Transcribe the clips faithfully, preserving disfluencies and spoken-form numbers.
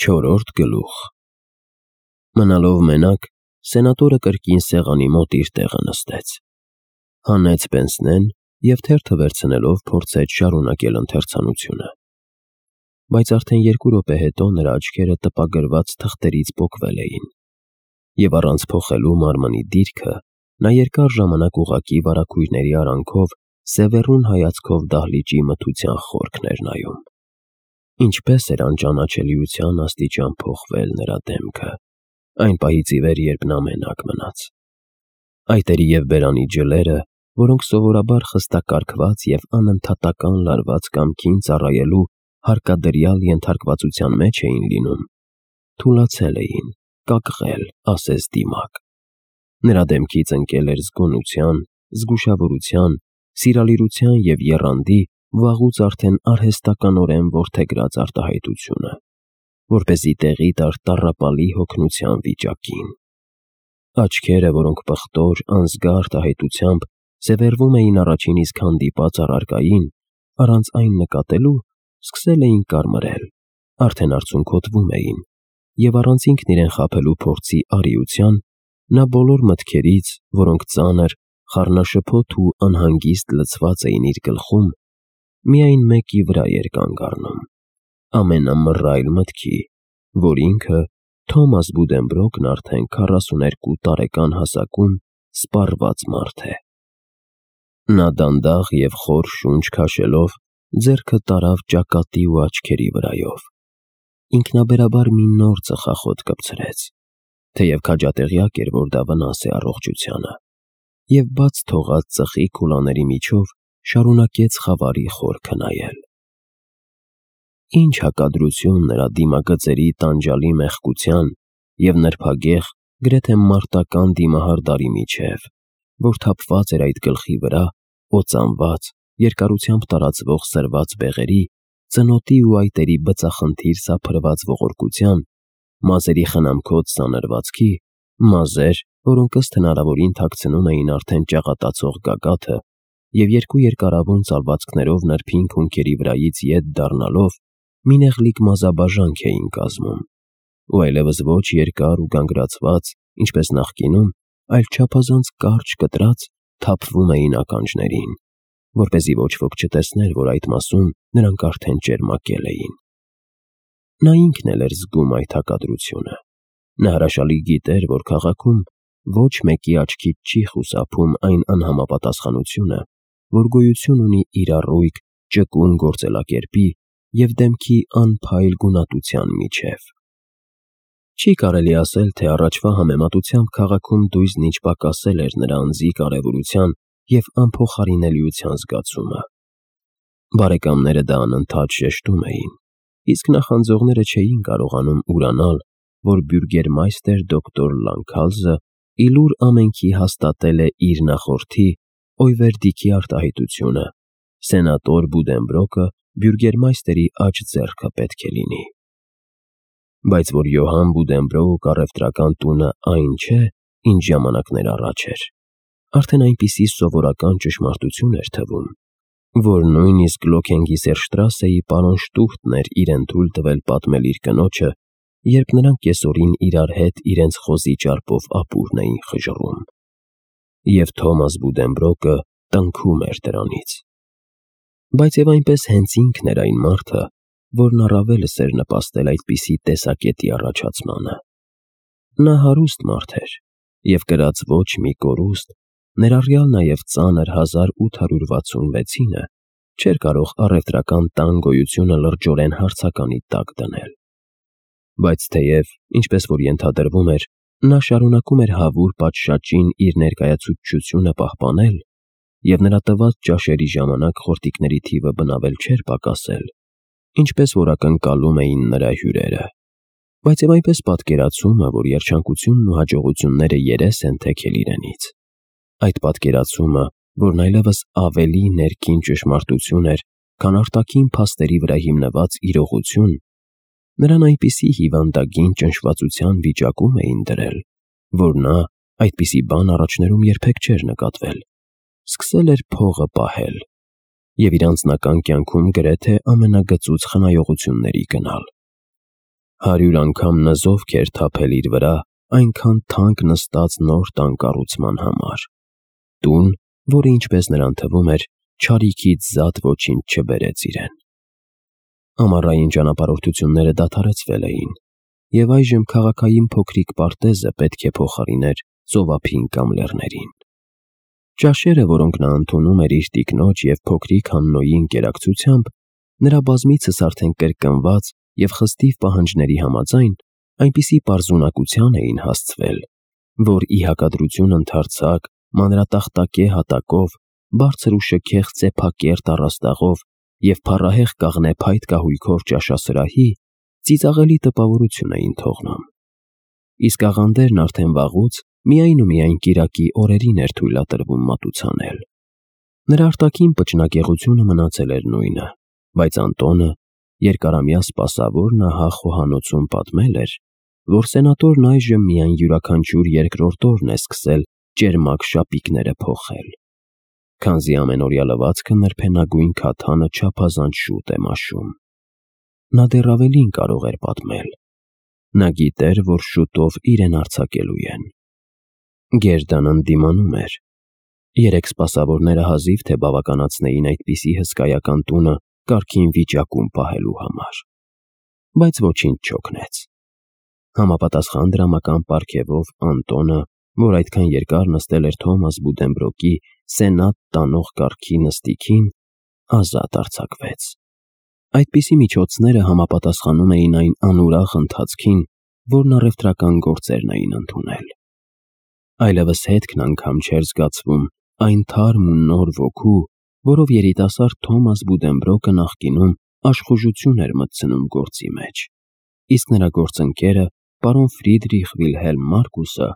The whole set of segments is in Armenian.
Չորրորդ գլուխ։ Մնալով մենակ, սենատորը կրկին սեղանի մոտ իր տեղը նստեց։ Հանեց պենսնեն և թերթը վերցնելով փորձեց շարունակել ընթերցանությունը։ Բայց արդեն երկու րոպե հետո նրա աչքերը տպագրված թղթերից պոկվել էին, և առանց փոխելու մարմնի դիրքը, նա երկար ժամանակ ուղղակի վարագույրների արանքով սևեռուն հայացքով դահլիճի մթության խորքն էր նայում։ Ինչպես էր անճանաչելիության աստիճան փոխվել նրա դեմքը այն պահից ի վեր, երբ նա մենակ մնաց։ Այտերի և բերանի ջլերը, որոնք սովորաբար խստակարգված և անընդհատական լարված կամքին ծառայելու հարկադրյալ ենթարկվածության մեջ էին լինում, թուլացել էին, կակղել, ասես դիմակ։ Նրա դեմքից ընկել էր զգոնության, զգուշավորության, սիրալիրության և եռանդի վաղուց արդեն արհեստականորեն որդեգրած արտահայտությունը, որպեսզի տեղի տար տառապալի հոգնության վիճակին։ Աչքերը, որոնք պղտոր, անզգա արտահայտությամբ սևեռվում էին առաջին իսկ հանդիպած առարկային, առանց այն նկատելու, սկսել էին կարմրել, արդեն արցունքոտվում էին, և առանց ինքն իրեն խաբելու փորձի արիության, նա բոլոր մտքերից, որոնք ծանր, խառնաշփոթ ու անհանգիստ լցված էին իր գլխում, միայն մեկի վրա էր կանգ առնում, ամենամռայլ մտքի, որ ինքը, Թոմաս Բուդենբրոկն արդեն քառասուներկու տարեկան հասակում սպառված մարդ է։ Նա դանդաղ և խոր շունչ քաշելով, ձեռքը տարավ ճակատի ու աչքերի վրայով։ Ինքնաբերաբար մի նոր ծխախոտ կպցրեց, թեև քաջատեղյակ էր, որ դա վնաս է առողջությանը, և բաց թողած ծխի քուլաների միջով շարունակեց խավարի խորքը նայել։ Ինչ հակադրություն նրա դիմագծերի տանջալի մեղկության և նրբագեղ, գրեթե մարտական դիմահարդարի միջև, որ թափված էր այդ գլխի վրա, օծանված, երկարությամբ տարածվող սրված բեղերի, ծնոտի ու այտերի բծախնդիր սափրված ողորկության, մազերի խնամքոծ սանրվածքի, մազեր, որոնք ըստ հնարավորին թաքցնում էին արդեն ճաղատացող գագաթը, և երկու երկարավուն ծալվածքներով նրբին քունքերի վրայից ետ դառնալով, մի նեղլիկ մազաբաժանք էին կազմում, ու այլևս ոչ երկար ու գանգրացված, ինչպես նախկինում, այլ չափազանց կարճ կտրած, թափվում էին ականջներին, որպեսզի ոչ ոք չտեսներ, որ այդ մասում նրանք արդեն ճերմակել էին։ Նա ինքն էլ էր զգում այդ հակադրությունը։ Նա հրաշալի գիտեր, որ քաղաքում ոչ մեկի աչքից չի խուսափում այն անհամապատասխանությունը, որ գոյություն ունի իր առույգ, ճկուն գործելակերպի և դեմքի անփայլ գունատության միջև։ Չի կարելի ասել, թե առաջվա համեմատությամբ քաղաքում դույզն ինչ պակասել էր նրա անձի կարևորության և անփոխարինելիության զգացումը։ Բարեկամները դա անընդհատ շեշտում էին, իսկ նախանձողները չէին կարողանում ուրանալ, որ բյուրգերմայստեր դոկտոր Լանքալզը ի լուր ամենքի հաստատել է իր նախորդի Օյվերդիքի արտահայտությունը. սենատոր Բուդենբրոկը բյուրգերմայստերի աջ ձեռքը պետք է լինի։ Բայց որ Յոհան Բուդենբրոկ առևտրական տունը այն չէ, ինչ ժամանակներ առաջ էր, արդեն այնպիսի սովորական ճշմարտություն էր թվում, որ նույնիսկ Լոքենգիսերշտրասեի պարոն Շտուհտն էր իրեն թույլ տվել պատմել իր կնոջը, երբ նրանք կեսօրին իրար հետ իրենց խոզի ճարպով ապուրն էին խժռում։ Եվ Թոմաս Բուդենբրոկը տնքում էր դրանից։ Բայց և այնպես հենց ինքն էր այն մարդը, որն առավելս էր նպաստել այդպիսի տեսակետի առաջացմանը։ Նա հարուստ մարդ էր, և կրած ոչ մի կորուստ, ներառյալ նաև ծանր հազար ութ հարյուր վաթսունվեցինը, չէր կարող առևտրական տան գոյությունը լրջորեն հարցականի տակ դնել։ Բայց թեև, ինչպես որ ենթադրվում էր, նա շարունակում էր հավուր պատշաճին իր ներկայացուցչությունը պահպանել, և նրա տված ճաշերի ժամանակ խորտիկների թիվը բնավել չէր պակասել, ինչպես որ ակնկալում էին նրա հյուրերը, բայց և այնպես պատկերացումը, որ երջանկությունն ու հաջողությունները երես են թեքել իրենից, այդ պատկերացումը, որն այլևս ավելի ներքին ճշմարտություն էր, քան արտաքին փաստերի վրա հիմնված իրողություն, նրան այնպիսի հիվանդագին ճնշվածության վիճակում էին դրել, որ նա այդպիսի բան առաջներում երբեք չէր նկատվել, սկսել էր փողը պահել և իր անձնական կյանքում գրեթե ամենագծուծ խնայողությունների գնալ։ Հարյուր անգամ նզով քեր թափել իր վրա, այնքան թանկ նստած նոր տան կառուցման համար։ Տուն, որը ինչպես նրան թվում էր, չարիքից զատ ոչինչ չբերեց իրեն։ Ամառային ճանապարհորդությունները դադարեցվել էին, և այժմ քաղաքային փոքրիկ պարտեզը պետք է փոխարիներ ծովափին կամ լեռներին։ Ճաշերը, որոնք նա ընդունում էր իր տիկնոջ և փոքրիկ Հաննոյի ընկերակցությամբ, նրա բազմիցս արդեն կրկնված և խստիվ պահանջների համաձայն, այնպիսի պարզունակության էին հասցվել, որ ի հակադրություն ընդարձակ, մանրատախտակե հատակով, բարձր ու շքեղ ծեփակերտ առաստաղով և փառահեղ կաղնե փայտ կահույքով ճաշասրահի, ծիծաղելի տպավորություն էին թողնում։ Իսկ աղանդերն արդեն վաղուց միայն ու միայն կիրակի օրերին էր թույլատրվում մատուցանել։ Նրա արտաքին պճնակեղությունը մնացել էր նույնը, բայց Անտոնը, երկարամյա սպասավորն ահա խոհանոցում պատմել էր, որ սենատորն այժմ միայն յուրաքանչյուր երկրորդ օրն է սկսել ճերմակ շապիկները փոխել, քանզի ամենօրյա լվացքը նրբենագույն քաթանը չափազանց շուտ է մաշում։ Նա դեռ ավելին կարող էր պատմել. նա գիտեր, որ շուտով իրեն արձակելու են։ Գերդան ընդդիմանում էր։ Երեք սպասավորները հազիվ թե բավականացնեին այդպիսի հսկայական տունը կարգին վիճակում պահելու համար։ Բայց ոչինչ չօգնեց։ Համապատասխան դրամական պարգևով Անտոնը, որ այդքան երկար նստել էր Թոմաս Բուդենբրոկի սենատ տանող կառքի նստիքին, ազատ արձակվեց։ Այդպիսի միջոցները համապատասխանում էին այն անուրախ ընթացքին, որն առևտրական գործերն էին ընդունել։ Այլևս հետքն անգամ չէր զգացվում այն թարմ ու նոր ոգու, որով երիտասարդ Թոմաս Բուդենբրոկը նախկինում աշխուժություն էր մտցնում գործի մեջ, իսկ նրա գործընկերը, պարոն Ֆրիդրիխ Վիլհելմ Մարկուսը,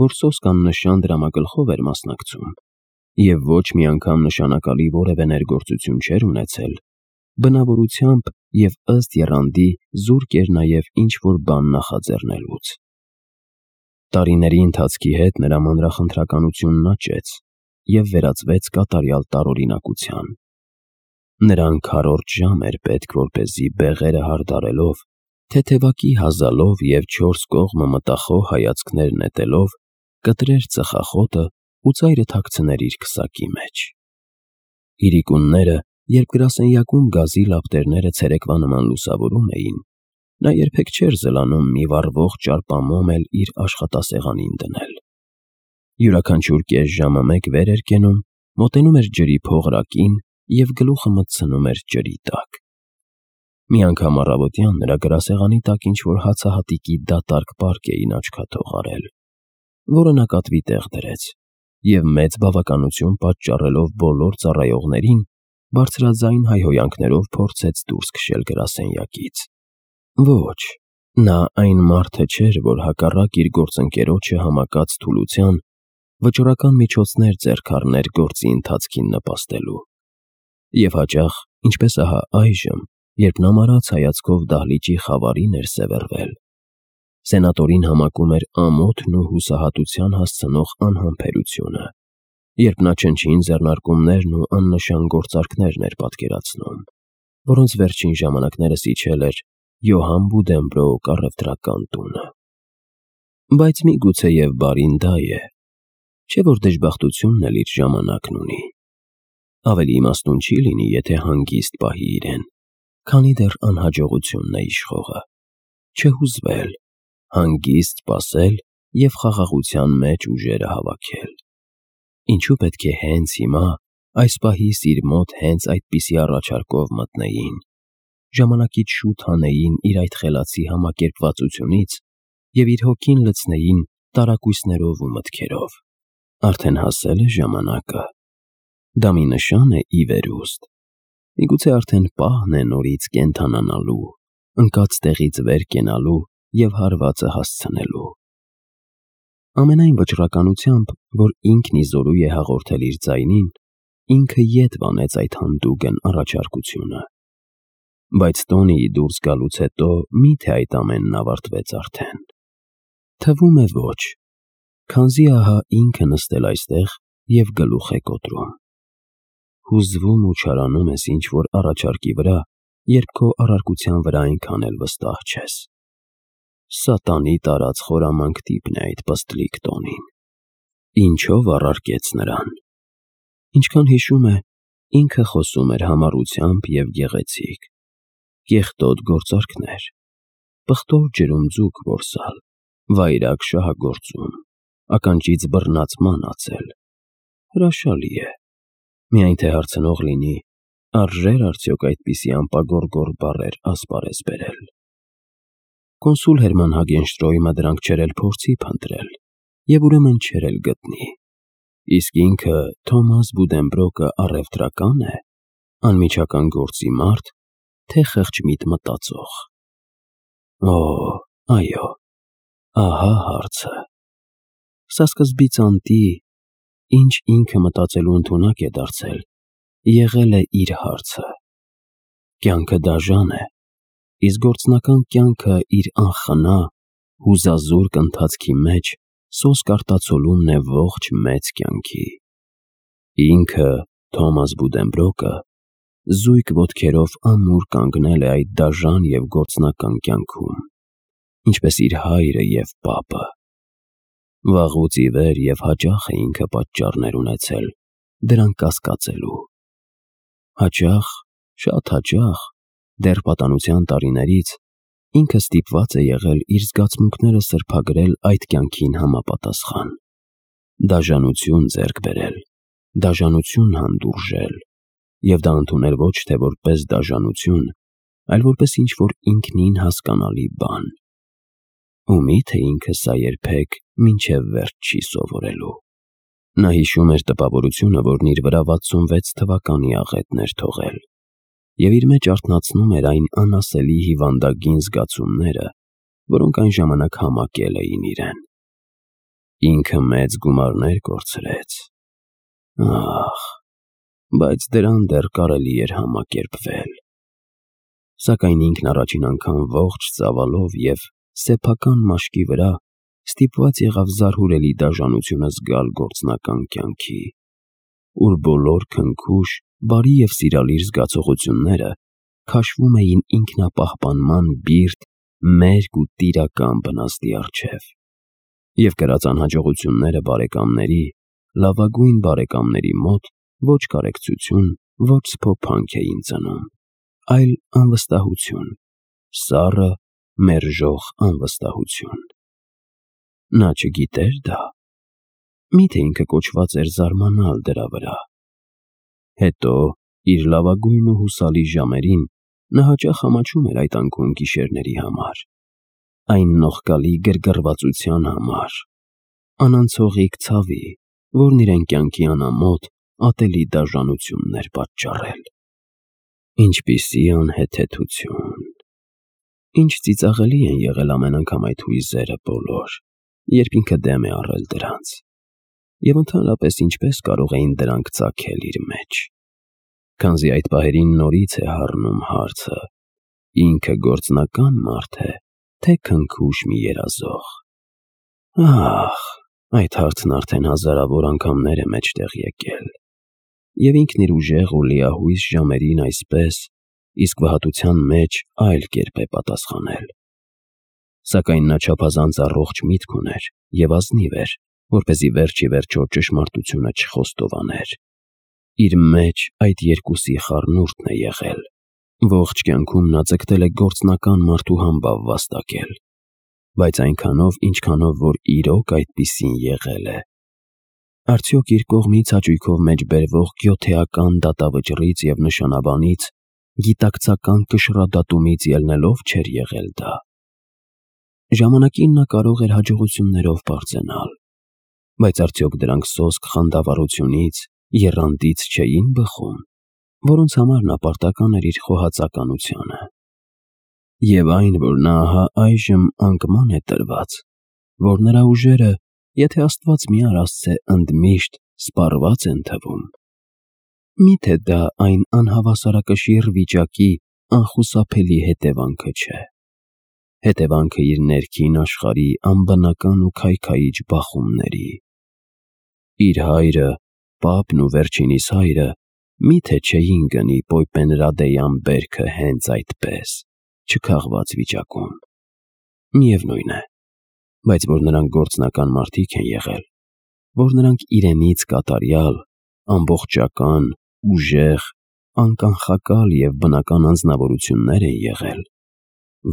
որ սոսկ աննշան դրամագլխով էր մասնակցում և ոչ մի անգամ նշանակալի որևէ ներգործություն չէր ունեցել, բնավորությամբ և ըստ եռանդի զուրկ էր նաև ինչ-որ բան նախաձեռնելուց։ Տարիների ընթացքի հետ նրա մանրախնդրականությունն աճեց և վերածվեց կատարյալ տարօրինակության։ Նրան քառորդ ժամ էր պետք, որպեսզի բեղերը հարդարելով, թեթևակի հազալով և չորս կողմը մտախոհ հայացքներ նետելով, կտրեր ծխախոտը ու ծայրը թաքցներ իր քսակի մեջ։ Իրիկունները, երբ գրասենյակում գազի լապտերները ցերեկվա նման լուսավորում էին, նա երբեք չէր զլանում մի վառվող ճարպամոմ էլ իր աշխատասեղանին դնել։ Յուրաքանչյուր կես ժամը մեկ վեր էր կենում, մոտենում էր ջրի փողրակին և գլուխը մտցնում էր ջրի տակ։ Մի անգամ առավոտյան նրա գրասեղանի տակ ինչ-որ հացահատիկի դատարկ պարկ էին աչքաթող արել, որը նա կատվի տեղ դրեց և մեծ բավականություն պատճառելով բոլոր ծառայողներին, բարձրաձայն հայհոյանքներով փորձեց դուրս քշել գրասենյակից։ Ոչ, նա այն մարդը չէր, որ հակառակ իր գործընկերոջը համակած թուլության, վճռական միջոցներ ձեռք առներ գործի ընթացքին նպաստելու։ Եվ հաճախ, ինչպես ահա այժմ, երբ նա մարած հայացքով դահլիճի խավարին էր սևեռվել, սենատորին համակում էր ամոթն ու հուսահատության հասցնող անհամբերությունը, երբ նա չնչին ձեռնարկումներն ու աննշան գործարքներն էր պատկերացնում, որոնց վերջին ժամանակներս իջել էր Յոհան Բուդենբրոկ առևտրական տունը։ Բայց միգուցեև բարին դա է, չէ՞ որ դժբախտությունն էլ իր ժամանակն ունի։ Ավելի իմաստուն չի լինի, եթե հանգիստ պահի իրեն, քանի դեռ անհաջողությունն է իշխողը, չհուզվել, հանգիստ սպասել և խաղաղության մեջ ուժերը հավաքել։ Ինչու պետք է հենց հիմա, այս պահիս իր մոտ հենց այդպիսի առաջարկով մտնեին, ժամանակից շուտ հանեին իր այդ խելացի համակերպվածությունից և իր հոգին լցնեին տարակույսներով ու մտքերով։ Արդեն հասել է ժամանակը։ Դա մի նշան է ի վերուստ։ Միգուցե արդեն պահն է նորից կենդանանալու, ընկած տեղից վեր կենալու և հարվածը հասցնելու։ Ամենայն վճռականությամբ, որ ինքն ի զորու է հաղորդել իր ձայնին, ինքը ետ վանեց այդ հանդուգն առաջարկությունը։ Բայց Տոնիի դուրս գալուց հետո մի՞թե այդ ամենն ավարտվեց արդեն։ Թվում է ոչ, քանզի ահա ինքը նստել այստեղ և գլուխ է կոտրում։ Հուզվում ու չարանում ես ինչ-որ առաջարկի վրա, երբ քո առարկության վրա այնքան էլ վստահ չես։ Սատանի տարած խորամանկ տիպն է այդ պստլիկ տոնին։ Ինչով առարկեց նրան։ Ինչքան հիշում է, ինքը խոսում էր համառությամբ և գեղեցիկ։ Կեղտոտ գործարքներ, պղտոր ջրում ձուկ որսալ, վայրագ շահագործում, ականջից բռնած ման ածել։ Հրաշալի է։ Միայն թե հարցնող լինի, արժե՞ր արդյոք այդպիսի անպագորգոր բառեր ասպարեզ բերել։ Կոնսուլ Հերման Հագենշտրոյմը դրանք չէր էլ փորձի փնտրել, և ուրեմն չէր էլ գտնի։ Իսկ ինքը Թոմաս Բուդենբրոկը առևտրակա՞ն է, անմիջական գործի մարդ, թե խեղճ մտածող։ Օ, այո, ահա հարցը։ Սա սկզբից անտի, ինչ ինքը մտածելու ընդունակ է դարձել, եղել է իր հարցը։ Կյանքը դաժան է, իսկ գործնական կյանքը իր անխնա, հուզազուրկ ընթացքի մեջ սոսկ արտացոլումն է ողջ մեծ կյանքի։ Ինքը, Թոմաս Բուդենբրոկը, զույգ ոտքերով ամուր կանգնել է այդ դաժան և գործնական կյանքում, ինչպես իր հայրը և պապը։ Վաղուց ի վեր և հաճախ է ինքը պատճառներ ունեցել դրանք կասկածելու։ Հաճախ, շատ հաճախ, դեռ պատանության տարիներից, ինքը ստիպված է եղել իր զգացմունքները սրբագրել այդ կյանքին համապատասխան, դաժանություն ձեռք բերել, դաժանություն հանդուրժել, և դա ընդունել ոչ թե որպես դաժանություն, այլ որպես ինչ-որ ինքնին հասկանալի բան։ Ու մի՞թե ինքը սա երբեք մինչև վերջ չի սովորելու։ Նա հիշում էր տպավորությունը, որն իր վրա վաթսունվեց թվականի աղետն էր թողել, և իր մեջ արթնացնում էր այն անասելի հիվանդագին զգացումները, որոնք այն ժամանակ համակել էին իրեն։ Ինքը մեծ գումարներ կորցրեց։ Ախ, բայց դրան դեռ կարելի էր համակերպվել։ Սակայն ինքն առաջին անգամ ողջ ծավալով և սեփական մաշկի վրա ստիպված եղավ զարհուրելի դաժանությունը զգալ գործնական կյանքի, ուր բոլոր քնքուշ, բարի և սիրալիր զգացողությունները քաշվում էին ինքնապահպանման բիրտ, մերկ ու տիրական բնազդի առջև, և կրած անհաջողությունները բարեկամների, լավագույն բարեկամների մոտ ոչ կարեկցություն, ոչ սփոփանք էին ծնում, այլ անվստահություն, սառը, մերժող անվստահություն։ Նա չգիտե՞ր դա։ Մի՞թե ինքը կոչված էր զարմանալ դրա վրա։ Հետո, իր լավագույն ու հուսալի ժամերին, նա հաճախ ամաչում էր այդ անկում գիշերների համար, այն նողկալի գրգռվածության համար, անանցողիկ ցավի, որն իրեն կյանքի անամոթ, ատելի դաժանությունն էր պատճառել։ Ինչպիսի անհեթեթություն։ Ինչ ծիծաղելի են եղել ամեն անգամ այդ հույզերը բոլոր, երբ ինքը դեմ է առել դրանց, և ընդհանրապես ինչպես կարող էին դրանք ծագել իր մեջ։ Քանզի այդ պահերին նորից է հառնում հարցը. ինքը գործնական մարդ է, թե քնքուշ մի երազող։ Ախ, այդ հարցն արդեն հազարավոր անգամներ է մեջտեղ եկել, և ինքն իր ուժեղ ու լիահույս ժամերին այսպես, իսկ վհատության մեջ այլ կերպ է պատասխանել։ Սակայն նա չափազանց առողջ միտք ուներ և ազնիվ էր, որպեսզի վերջ ի վերջո ճշմարտությունը չխոստովաներ։ Իր մեջ այդ երկուսի խառնուրդն է եղել։ Ողջ կյանքում նա ձգտել է գործնական մարդու համբավ վաստակել, բայց այնքանով, ինչքանով որ իրոք այդպիսին եղել է։ Արդյոք իր կողմից հաճույքով մեջբերվող գյոթեական դատավճռից և նշանաբանից, գիտակցական կշռադատումից ելնելով չէր եղել դա։ Ժամանակին նա կարող էր հաջողություններով պարծենալ, բայց արդյոք դրանք սոսկ խանդավառությունից, եռանդից չէին բխում, որոնց համար նա պարտական էր իր խոհածականությանը։ Եվ այն, որ նա ահա այժմ անկման է տրված, որ նրա ուժերը, եթե Աստված մի արասցե ընդմիշտ սպառված են թվում, մի՞թե դա այն անհավասարակշիռ վիճակի անխուսափելի հետևանքը չէ։ Հետևանքը իր ներքին աշխարհի անբնական ու քայքայիչ բախումների։ Իր հայրը, պապն ու վերջինիս հայրը մի՞թե չէին գնի Պոյպենրադեյան բերքը հենց այդպես, չքաղված վիճակում։ Միևնույն է, բայց որ նրանք գործնական մարդիկ են եղել, որ նրանք իրենից կատարյալ, ամբողջական, ուժեղ, անկանխակալ և բնական անձնավորություններ են եղել,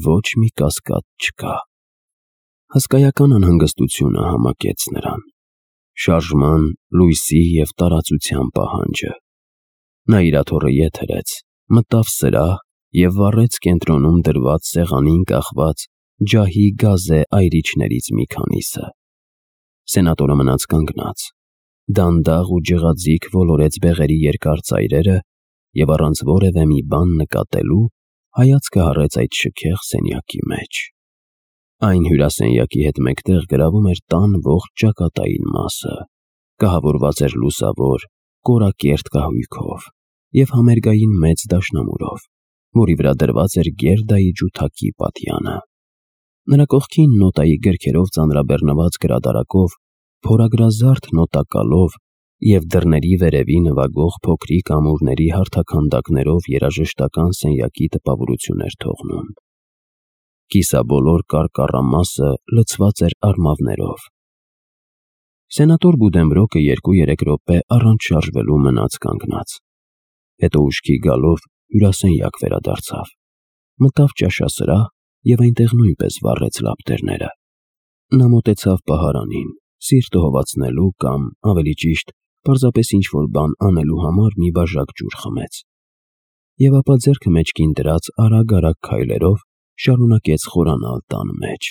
ոչ մի կասկած չկա։ Հսկայական անհանգստությունը համակեց նրան, շարժման, լույսի և տարածության պահանջը։ Նա իր աթոռը ետ հրեց, մտավ սրահ և վառեց կենտրոնում դրված սեղանին կախված ջահի գազե այրիչներից մի քանիսը։ Սենատորը մնաց կանգնած, դանդաղ ու ջղաձիգ ոլորեց բեղերի երկար ծայրերը և առանց որևէ մի բան նկատելու հայացքը հառեց այդ շքեղ սենյակի մեջ։ Այն հյուրասենյակի հետ մեկտեղ գրավում էր տան ողջ ճակատային մասը, կահավորված էր լուսավոր, կորակերտ կահույքով և համերգային մեծ դաշնամուրով, որի վրա դրված էր Գերդայի ջութակի պատյանը։ Նրա կողքին նոտայի գրքերով ծանրաբեռնված գրադարակով, փորագրազարդ նոտակալով և դռների վերևի նվագող փոքրիկ ամուրների հարթաքանդակներով երաժշտական սենյակի տպավորություն էր թողնում։ Կիսաբոլոր կարկառամասը լցված էր արմավներով։ Սենատոր Բուդենբրոկը երկու-երեք րոպե առանց շարժվելու մնաց կանգնած, հետո ուշքի գալով հյուրասենյակ վերադարձավ, մտավ ճաշասրահ և այնտեղ նույնպես վառեց լապտերները։ Նա մոտեցավ պահարանին, սիրտը հովացնելու կամ, ավելի ճիշտ, պարզապես ինչ-որ բան անելու համար մի բաժակ ջուր խմեց և ապա ձեռքը մեջքին դրած արագ-արագ քայլերով շարունակեց խորանալ տան մեջ։